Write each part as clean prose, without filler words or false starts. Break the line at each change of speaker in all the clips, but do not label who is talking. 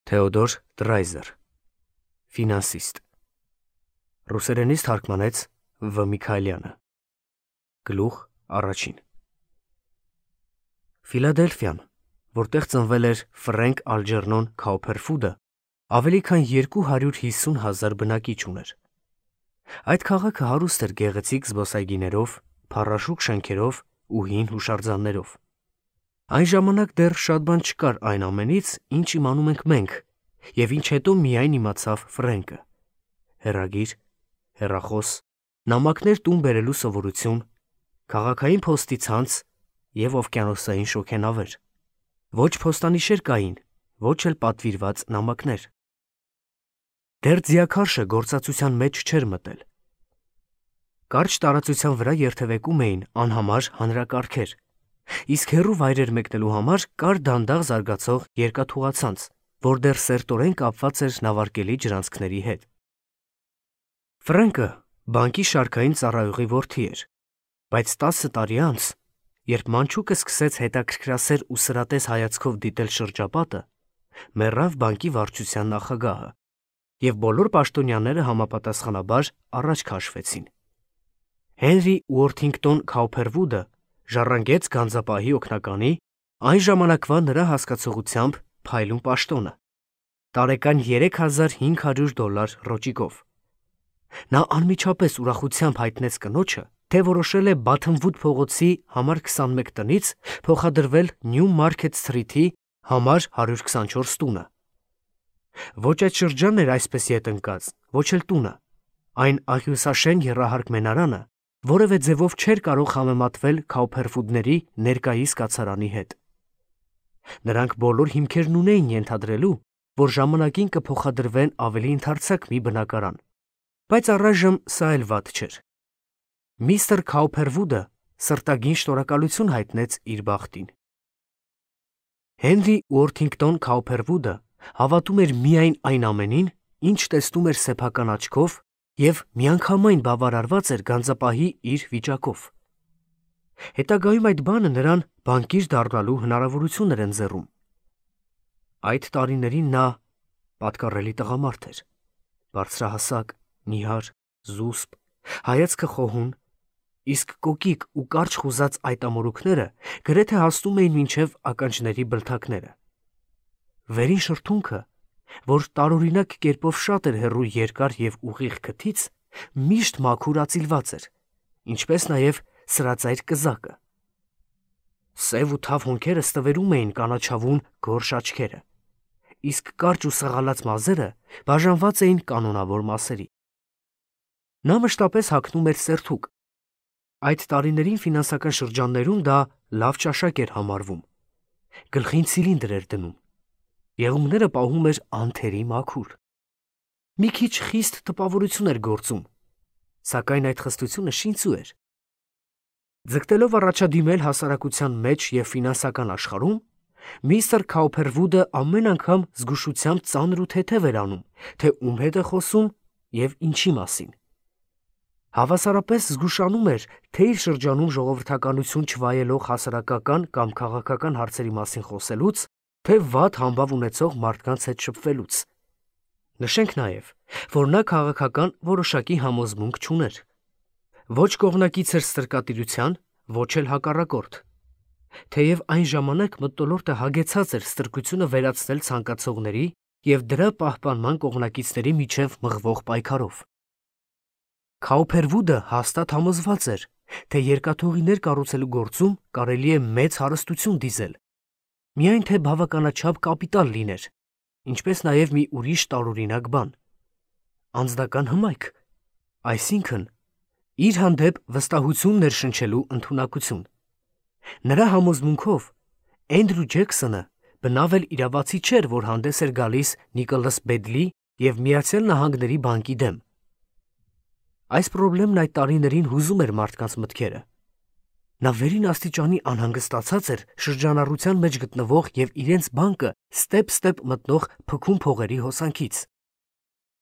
Թեոդոր Դրայզեր, ֆինանսիստ, ռուսերենից թարգմանեց Վ. Միքայելյանը, գլուխ առաջին։ Ֆիլադելֆիան, որտեղ ծնվել էր Ֆրենկ Ալջերնոն Քաուփերֆուդը, ավելի քան 250,000 բնակիչ ուներ։ Այդ քաղաքը հարուստ էր գեղեցիկ զբոսայգիներով, փառաշուկ շենքերով ու հին հուշարձաններով։ Այն ժամանակ դեռ շատ բան չկար այն ամենից, ինչ իմանում ենք մենք, և ինչ հետո միայն իմացավ Ֆրենկը. հեռագիր, հեռախոս, նամակներ տուն բերելու սովորություն, քաղաքային փոստի ցանց և օվկիանոսային շոգենավեր։ Ոչ փոստանիշեր կային, ոչ էլ պատվիրված նամակներ։ Դեռ ձիաքարշը գործածության մեջ չէր մտել։ Կարճ տարածության վրա երթևեկում էին անհամար հանրակարգեր, իսկ հեռու վայրեր մեկնելու համար կար դանդաղ զարգացող երկաթուղացանց, որ դեռ սերտորեն կապված էր նավարկելի ջրանցքների հետ։ Ֆրենկը բանկի շարքային ծառայողի որդի էր, բայց 10 տարի անց, երբ մանչուկը սկսեց հետաքրքրասեր ու սրատես հայացքով դիտել շրջապատը, մեռավ բանկի վարչության նախագահը, և բոլոր պաշտոնյաները համապատասխանաբար առաջ քաշվեցին։ Հենրի Ուորթինգտոն Քաուփերվուդը ժառանգեց գանձապահի օգնականի, այն ժամանակվա նրա հասկացողությամբ փայլուն պաշտոնը, տարեկան $3500 ռոճիկով։ Նա անմիջապես ուրախությամբ հայտնեց կնոջը, թե որոշել է Բաթըմվուդ փողոցի համար 21 տնից փոխադրվել Նյու Մարքեթ Սթրիթի համար 124 տունը։ Ոչ այդ շրջանն էր այսպես ետ ընկած, ոչ էլ տունը, այն աղյուսաշեն եռահարկ մենարանը, որևէ ձևով չէր կարող համեմատվել Քաուփերֆուդների ներկայիս կացարանի հետ։ Նրանք բոլոր հիմքերն ունեին ենթադրելու, որ ժամանակին կփոխադրվեն ավելի ընդարձակ մի բնակարան, բայց առայժմ սա էլ վատ չէր։ Միստր Քաուփերվուդը սրտագին շնորհակալություն հայտնեց իր բախտին։ Հենրի Ուորթինգտոն Քաուփերվուդը հավատում էր միայն այն ամենին, ինչ տեսնում էր սեփական աչքով և միանգամայն բավարարված էր գանձապահի իր վիճակով։ Հետագայում այդ բանը նրան բանկիր դառնալու հնարավորություն էր ընձեռում։ Այդ տարիներին նա պատկառելի տղամարդ էր, բարձրահասակ, նիհար, զուսպ, հայացքը խոհուն, իսկ կոկիկ ու կարճ խուզած այդ ամորուքները գրեթե հասնում էին մինչև ականջների բլթակները։ Վերին շրթունքը, որ տարօրինակ կերպով շատ էր հեռու երկար և ուղիղ քթից, միշտ մաքուր ածիլված էր, ինչպես նաև սրածայր կզակը։ Սև ու թավ հոնքերը ստվերում էին կանաչավուն գորշ աչքերը, իսկ կարճ ու սղալած մազերը բաժանված էին կանոնավոր մասերի։ Նա մշտապես հագնում էր սերթուկ։ Այդ տարիներին ֆինանսական շրջաններում դա լավ ճաշակ էր համարվում։ Գլխին ցիլինդր էր դնում։ Եղունգները պահում էր անթերի մաքուր։ Մի քիչ խիստ տպավորություն էր գործում, սակայն այդ խստությունը շինծու էր։ Ձգտելով առաջադիմել հասարակության մեջ և ֆինանսական աշխարհում, միստր Քաուփերվուդը ամեն անգամ զգուշությամբ ծանր ու թեթև էր անում, թե ում հետ է խոսում և ինչի մասին։ Հավասարապես զգուշանում էր, թե իր շրջանում ժողովրդականություն չվայելող հասարակական կամ քաղաքական հարցերի մասին խոսելուց, թե վատ համբավ ունեցող մարդկանց հետ շփվելուց։ Նշենք նաև, որ նա քաղաքական որոշակի համոզմունք չուներ։ Ոչ կողմնակից էր ստրկատիրության, ոչ էլ հակառակորդ։ Թեև այն ժամանակ մթնոլորտը հագեցած էր ստրկությունը վերացնել ցանկացողների և դրա պահպանման կողմնակիցների միջև մղվող պայքարով։ Քաուփերվուդը հաստատ համոզված էր, թե երկաթուղիներ կառուցելու գործում կարելի է մեծ հարստություն դիզել, միայն թե բավականաչափ կապիտալ լիներ, ինչպես նաև մի ուրիշ տարօրինակ բան՝ անձնական հմայք, այսինքն իր հանդեպ վստահություն ներշնչելու ընդունակություն։ Նրա համոզմունքով Էնդրու Ջեքսոնը բնավ էլ իրավացի չէր, որ հանդես էր գալիս Նիկոլաս Բեդլի և Միացյալ Նահանգների բանկի դեմ։ Այս պրոբլեմն այդ տարիներին հուզում էր մարդկանց մտքերը։ Նա վերին աստիճանի անհանգստացած էր շրջանառության մեջ գտնվող և իրենց բանկը ստեպ մտնող փքուն փողերի հոսանքից։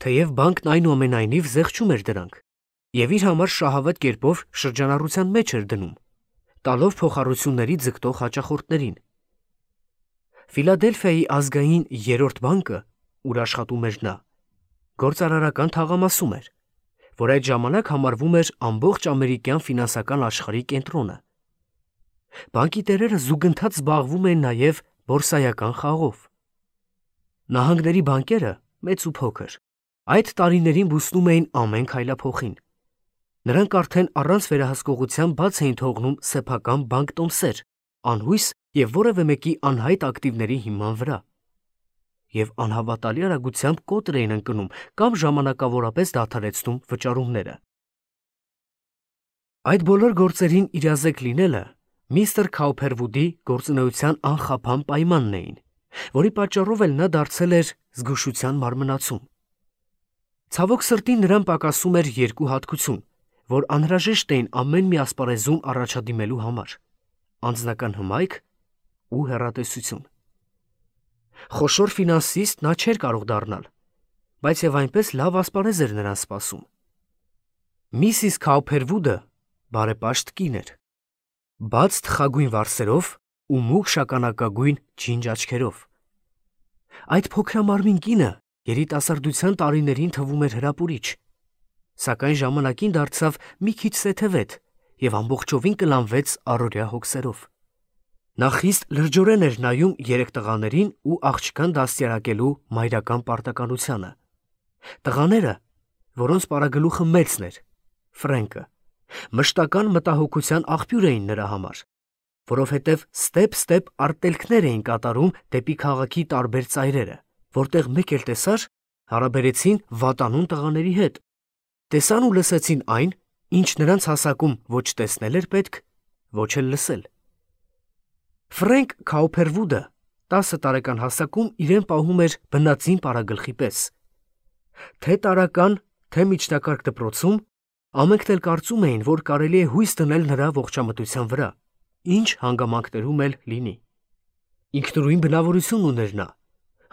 Թեև բանկն այնուամենայնիվ զեղչում էր դրանք և իր համար շահավետ կերպով շրջանառության մեջ էր դնում, տալով փոխառությունների ձգտող հաճախորդներին։ Ֆիլադելֆիայի ազգային 3-րդ բանկը, ուր աշխատում էր նա, գործարարական թաղամասում էր, որ այդ ժամանակ համարվում էր ամբողջ ամերիկյան ֆինանսական աշխարհի կենտրոնը։ Բանկի տերերը զուգընթաց զբաղվում էին նաև բորսայական խաղով։ Նահանգների բանկերը, մեծ ու փոքր, այդ տարիներին բուսնում էին ամեն քայլափոխին։ Նրանք արդեն առանց վերահսկողության բաց էին թողնում սեփական բանկտոմսեր, անհույս և որևէ մեկի անհայտ ակտիվների հիման վրա, և անհավատալի արագությամբ կոտր էին ընկնում կամ ժամանակավորապես դադարեցնում վճարումները։ Այդ բոլոր գործերին իրազեկ լինելը միստր Քաուփերվուդի գործունեության անխափան պայմանն էին, որի պատճառով էլ նա դարձել էր զգուշության մարմնացում։ Ցավոք սրտի նրան պակասում էր երկու հատկություն, որ անհրաժեշտ էին ամեն մի ասպարեզում առաջադիմելու համար՝ անձնական հմայք ու հեռատեսություն։ Խոշոր ֆինանսիստ նա չէր կարող դառնալ, բայց և այնպես լավ ասպարեզ էր նրան սպասում։ Միսիս Քաուփերվուդը բարեպաշտ կին էր, բաց թխագույն վարսերով ու մուգ շագանակագույն ջինջ աչքերով։ Այդ փոքրամարմին կինը երիտասարդության տարիներին թվում էր հրապուրիչ, սակայն ժամանակին դարձավ մի քիչ սեթևետ և ամբողջովին կլանվեց առօրյա հոգսերով։ Նա խիստ լրջորեն էր նայում երեք տղաներին ու աղջկան դաստիարակելու մայրական պարտականությանը։ Տղաները, որոնց պարագլուխը մեծն էր, Ֆրենկը, մշտական մտահոգության աղբյուր էին նրա համար, որովհետև ստեպ արտելքներ էին կատարում դեպի քաղաքի տարբեր ծայրերը, որտեղ մեկ էլ տեսար, հարաբերեցին վատանուն տղաների հետ, տեսան ու լսեցին այն, ինչ նրանց հասակում ոչ տեսնել էր պետք, ոչ էլ լսել։ Ֆրենկ Քաուփերվուդը 10 տարեկան հասակում իրեն պահում էր բնածին պարագլխի պես։ Թե տարրական, թե միջնակարգ դպրոցում ամենքն էլ կարծում էին, որ կարելի է հույս դնել նրա ողջամտության վրա, ինչ հանգամանքներում էլ լինի։ Ինքնուրույն բնավորություն ուներ նա,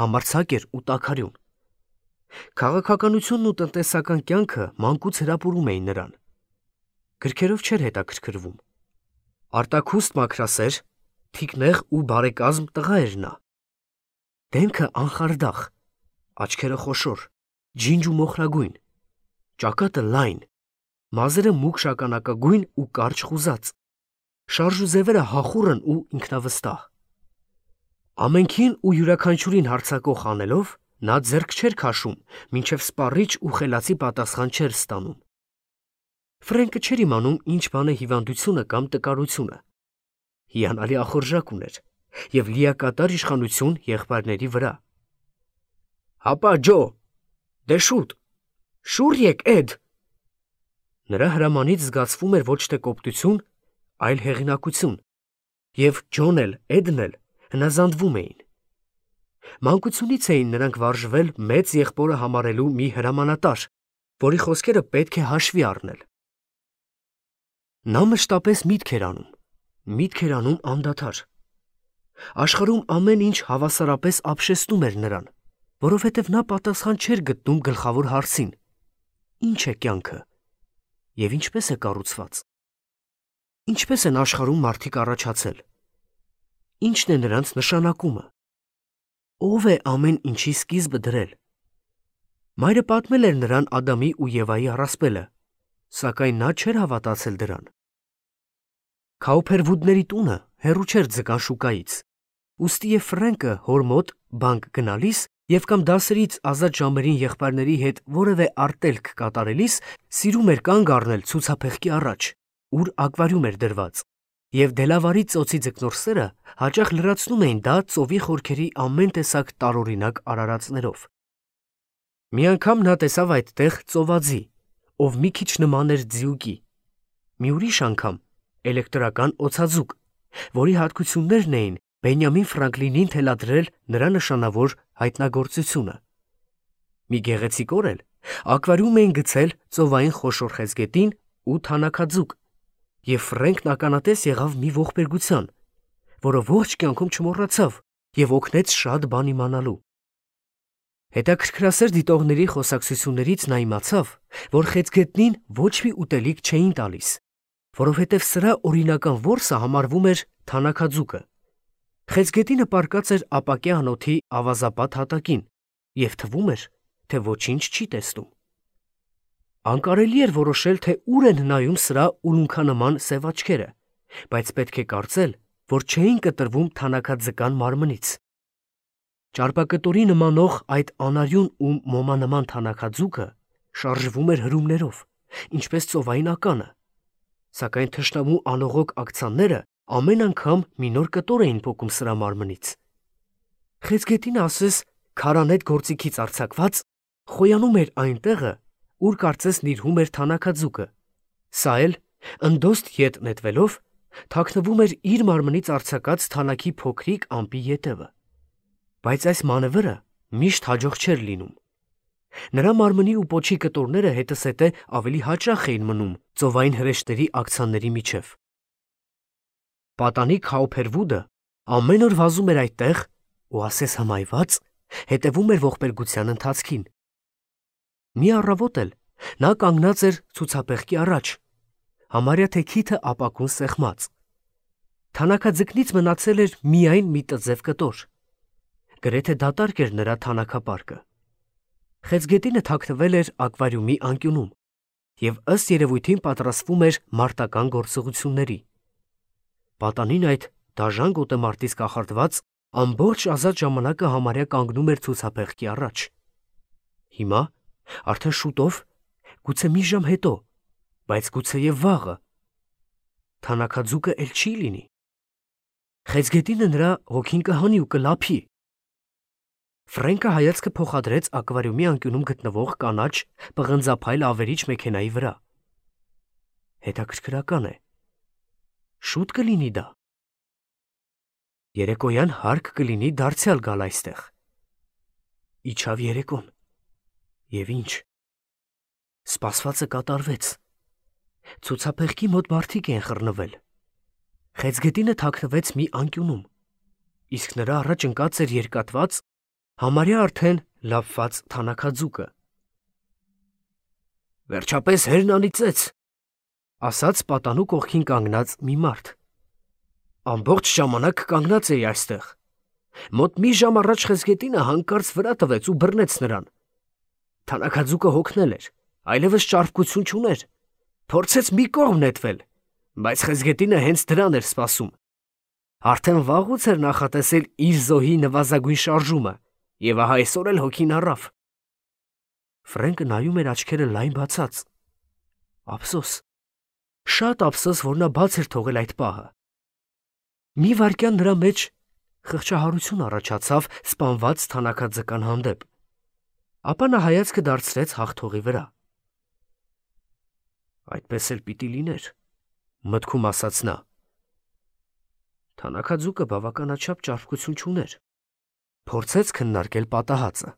համարձակ էր ու տաքարյուն։ Քաղաքականությունն ու տնտեսական կյանքը մանկուց հրապուրում էին նրան։ Գրքերով չէր հետաքրքրվում։ Արտաքուստ մաքրասեր, թիկնեղ ու բարեկազմ տղա էր նա։ Դեմքը անխարդախ, աչքերը խոշոր, ջինջ ու մոխրագույն, ճակատը լայն, մազերը մուգ շագանակագույն ու կարճ խուզած, շարժուձևերը հախուռն ու ինքնավստահ։ Ամենքին ու յուրաքանչյուրին հարձակող անելով, նա ձեռք չէր քաշում, մինչև սպառիչ ու խելացի պատասխան չէր ստանում։ Ֆրենկը չէր իմանում ինչ բան է հիվանդությունը կամ տկարությունը։ Հիանալի ախորժակ ուներ և լիակատար իշխանություն եղբայրների վրա։ «Հապա Ջո, դե շուտ, շուռ եկ Էդ»։ Նրա հրամանից զգացվում էր ոչ թե կոպտություն, այլ հեղինակություն, և Ջոն էլ Էդն էլ հնազանդվում էին։ Մանկությունից էին նրանք վարժվել մեծ եղբորը համարելու մի հրամանատար, որի խոսքերը պետք է հաշվի առնել։ Նա մշտապես միտք էր անում անդադար։ Աշխարհում ամեն ինչ հավասարապես ապշեցնում էր նրան, որովհետև նա պատասխան չէր գտնում գլխավոր հարցին. ի՞նչ է կյանքը և ինչպես է կառուցված։ Ինչպես են աշխարհում մարդիկ առաջացել։ Ի՞նչն է նրանց նշանակումը։ Ո՞վ է ամեն ինչի սկիզբը դրել։ Մայրը պատմել էր նրան Ադամի ու Եվայի առասպելը, սակայն նա չէր հավատացել դրան։ Քաուփերվուդների տունը հեռու չէր ձկան շուկայից, ուստի և Ֆրենկը հոր մոտ բանկ գնալիս և կամ դասերից ազատ ժամերին եղբայրների հետ որևէ արտելք կատարելիս սիրում էր կանգ առնել ցուցափեղկի առաջ, ուր ակվարիում էր դրված, և դելավարի ծոցի ձկնորսերը հաճախ լրացնում էին դա ծովի խորքերի ամեն տեսակ տարօրինակ արարածներով։ Մի անգամ նա տեսավ այդտեղ ծովածի, ով մի քիչ նման էր ձիուկի, մի ուրիշ անգամ էլեկտրական օձաձուկ, որի հատկություններն էին Բենյամին Ֆրանկլինին թելադրել նրա նշանավոր հայտնագործությունը։ Մի գեղեցիկ օր էլ ակվարիում էին գցել ծովային խոշոր խեցգետին ու թանաքաձուկ, և Ֆրենկն ականատես եղավ մի ողբերգության, որը ողջ կյանքում չմոռացավ և օգնեց շատ բան իմանալու։ Հետաքրքրասեր դիտողների խոսակցություններից նա իմացավ, որ խեցգետնին ոչ մի ուտելիք չէին տալիս, որովհետև սրա օրինական որսը համարվում էր թանաքաձուկը։ Խեցգետինը պառկած էր ապակյա անոթի ավազապատ հատակին և թվում էր, թե ոչինչ չի տեսնում։ Անկարելի էր որոշել, թե ուր են նայում սրա ուլունքանման սև աչքերը, բայց պետք է կարծել, որ չէին կտրվում թանաքաձկան մարմնից։ Ճարպակտորի նմանող այդ անարյուն ու մոմանման թանաքաձուկը շարժվում էր հրումներով, ինչպես ծովային ականը, սակայն թշնամու անողոք ակցանները ամեն անգամ մի նոր կտոր էին պոկում սրա մարմնից։ Խեցգետինը ասես քարանետ գործիքից արձակված խոյանում էր այն տեղը, ուր կարծես նիրհում էր թանաքաձուկը, սա էլ ընդոստ ետ նետվելով թաքնվում էր իր մարմնից արձակած թանաքի փոքրիկ ամպի ետևը։ Բայց այս մանևրը միշտ հաջող չէր լինում։ Նրա մարմնի ու պոչի կտորները հետզհետե ավելի հաճախ էին մնում ծովային հրեշտերի ակցանների միջև։ Պատանի Քաուփերվուդը ամեն օր վազում էր այդտեղ ու ասես հմայված հետևում էր ողբերգության ընթացքին։ Մի առավոտ էլ նա կանգնած էր ցուցափեղկի առաջ, համարյա թե քիթը ապակուն սեղմած։ Թանաքաձկնից մնացել էր միայն մի տձև կտոր։ Գրեթե դատարկ էր նրա թանաքապարկը։ Խեցգետինը թաքնվել էր ակվարիումի անկյունում և ըստ երևույթին պատրաստվում էր մարտական գործողությունների։ Պատանին այդ դաժան գոտեմարտից կախարդված ամբողջ ազատ ժամանակը համարյա կանգնում էր ցուցափեղկի առաջ։ Հիմա արդեն շուտով, գուցե մի ժամ հետո, բայց գուցեև վաղը, թանաքաձուկը էլ չի լինի։ Խեցգետինը նրա հոգին կհանի ու կլափի։ Ֆրենկը հայացքը փոխադրեց ակվարիումի անկյունում գտնվող կանաչ պղնձափայլ ավերիչ մեքենայի վրա։ Հետաքրքրական է, շուտ կլինի դա։ Երեկոյան հարկ կլինի դարձյալ գալ այստեղ։ Իջավ երեկոն։ Եվ ինչ։ Սպասվածը կատարվեց։ Ցուցափեղկի մոտ մարդիկ են խռնվել։ Խեցգետինը թաքնվեց մի անկյունում, իսկ նրա առաջ ընկած էր երկատված, համարյա արդեն լափված թանաքաձուկը։ Վերջապես հերն անիծեց, ասաց պատանու կողքին կանգնած մի մարդ։ Ամբողջ ժամանակ կանգնած էի այստեղ։ Մոտ մի ժամ առաջ Խեցգետինը հանկարծ վրա տվեց ու բռնեց նրան։ Թանաքաձուկը հոգնել էր, այլևս ճարպկություն չուներ, փորձեց մի կողմ նետվել, բայց Խեցգետինը հենց դրան էր սպասում։ Արդեն վաղուց էր նախատեսել իր զոհի նվազագույն շարժումը, և ահա այսօր էլ հոգին առավ։ Ֆրենկը նայում էր աչքերը լայն բացած։ Ափսոս, շատ ափսոս, որ նա բաց էր թողել այդ պահը։ Մի վայրկյան նրա մեջ խղճահարություն առաջացավ սպանված թանաքաձկան հանդեպ, ապա նա հայացքը դարձրեց հաղթողի վրա։ Այդպես էլ պիտի լիներ, մտքում ասաց նա։ Թանաքաձուկը բավականաչափ ճարպկություն չուներ, փորձեց քննարկել պատահածը։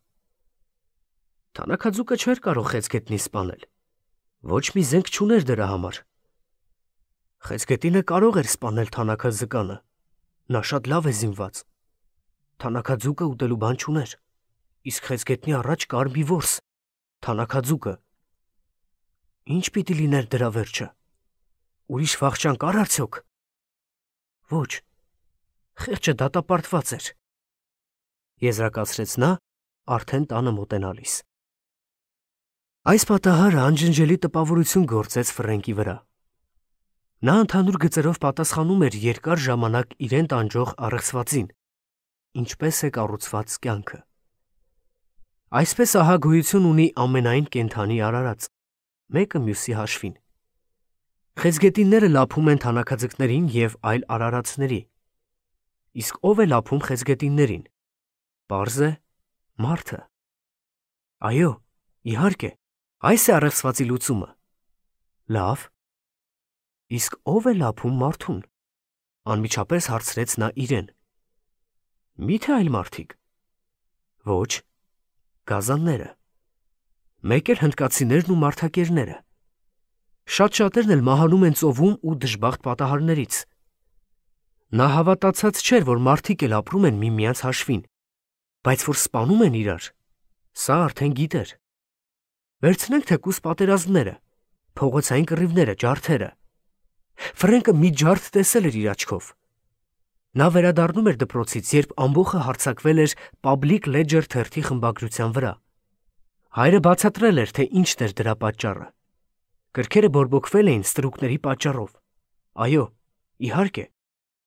Թանաքաձուկը չէր կարող Խեցգետնին սպանել, ոչ մի զենք չուներ դրա համար։ Խեցգետինը կարող էր սպանել թանաքաձկանը, նա շատ լավ է զինված։ Թանաքաձուկը ուտելու բան չուներ, իսկ Խեցգետնի առաջ կար մի որս, թանաքաձուկը։ Ինչ պիտի լիներ դրա վերջը։ Ուրիշ վախճան կար արդյոք։ Ոչ, խեղճը դատապարտված էր, եզրակացրեց նա արդեն տանը մոտենալիս։ Այս պատահարը անջնջելի տպավորություն գործեց Ֆրենկի վրա։ Նա ընդհանուր գծերով պատասխանում էր երկար ժամանակ իրեն տանջող առեղծվածին, ինչպես է կառուցված կյանքը։ Այսպես ահա գոյություն ունի ամենայն կենդանի արարած, մեկը մյուսի հաշվին։ Խեցգետինները լափում են թանաքաձկներին և այլ արարածների։ Իսկ ով է լափում խեցգետիններին։ Պարզ է, մարդը։ Այո, իհարկե, այս է առեղծվածի լուծումը։ Լավ։ Իսկ ով է լափում մարդուն։ Անմիջապես հարցրեց նա իրեն։ Միթե այլ մարդիկ։ Ոչ, գազանները։ Մեկ էլ հնդկացիներն ու մարդակերները։ Շատ շատերն էլ մահանում են ծովում ու դժբախտ պատահարներից։ Նա հավատացած չէր, որ մարդիկ էլ ապրում են միմյանց հաշվին, բայց որ սպանում են իրար, սա արդեն գիտեր։ Վերցնենք թեկուզ պատերազմները, փողոցային կռիվները, ջարդերը։ Ֆրենկը մի ջարդ տեսել էր իր աչքով։ Նա վերադառնում էր դպրոցից, երբ ամբոխը հարձակվել էր Public Ledger թերթի խմբագրության վրա։ Հայրը բացատրել էր, թե ինչն էր դրա պատճառը։ Գրքերը բորբոքվել էին ստրուկների պատճառով։ Այո, իհարկե,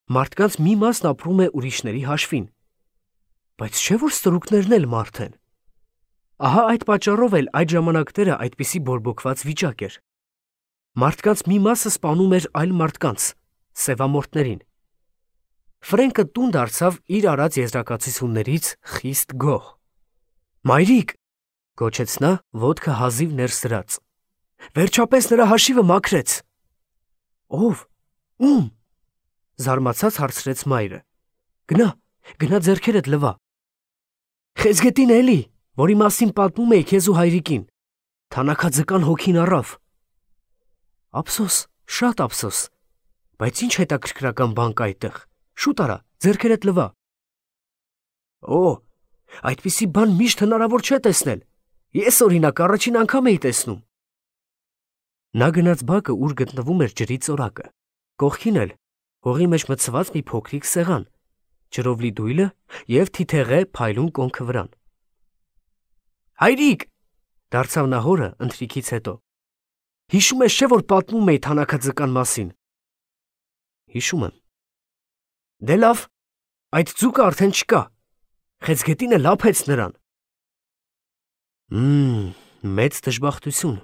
մարդկանց մի մասն ապրում է ուրիշների հաշվին։ Բայց չէ՞ որ ստրուկներն էլ մարդ են։ Ահա այդ պատճառով էլ այդ ժամանակները այդպիսի բորբոքված վիճակ էր։ Մարդկանց մի մասը սպանում էր այլ մարդկանց, սևամորթներին։ Ֆրենկը տուն դարձավ իր արած եզրակացություններից խիստ գոհ։ «Մայրիկ», գոչեց նա, ոտքը հազիվ ներս դրած, «վերջապես նրա հաշիվը մաքրեց»։ «Ո՞վ, ում» զարմացած հարցրեց մայրը։ Գնա ձեռքերդ լվա։ «Խեցգետին էլի, որի մասին պատմում էի քեզ ու հայրիկին, թանաքաձկան հոգին առավ»։ «Ափսոս, շատ ափսոս, բայց ինչ հետաքրքրական բան կա այդտեղ, շուտ արա, ձեռքերդ լվա»։ «Օ, այդպիսի բան միշտ հնարավոր չէ տեսնել, ես օրինակ առաջին անգամ էի տեսնում»։ Նա գնաց բակը, ուր գտնվում էր ջրի ծորակը, կողքին էլ հողի մեջ մտցված մի փոքրիկ սեղան, ջրով լի դույլը և թիթեղե փայլուն կոնքը վրան։ «Հայրիկ», դարձավ նա հորը ընթրիքից հետո, «հիշում ես չէ, որ պատմում էի թանաքաձկան մասին»։ «Հիշում եմ»։ «Դե լավ, այդ ձուկը արդեն չկա, խեցգետինը լափեց նրան»։ Մեծ դժբախտություն,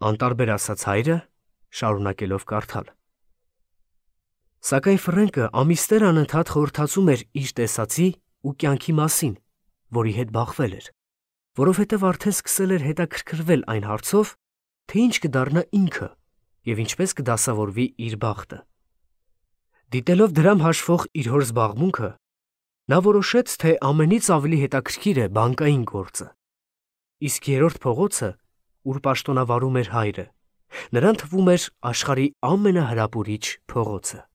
անտարբեր ասաց հայրը, շարունակելով կարդալ։ Սակայն Ֆրենկը ամիսներ անընդհատ խորհրդածում էր իր տեսածի ու կյանքի մասին, որի հետ բախվել էր, որովհետև արդեն սկսել էր հետաքրքրվել այն հարցով, թե ինչ կդառնա ինքը և ինչպես կդասավորվի իր բախտը։ Դիտելով դրամ հաշվող իր հոր զբաղմունքը, նա որոշեց, թե ամենից ավելի հետաքրքիր է բանկային գործը։ Իսկ երրորդ փողոցը, ուր պաշտոնավարում էր հայրը, նրան թվում էր աշխարհի ամենահրապուրիչ փողոցը։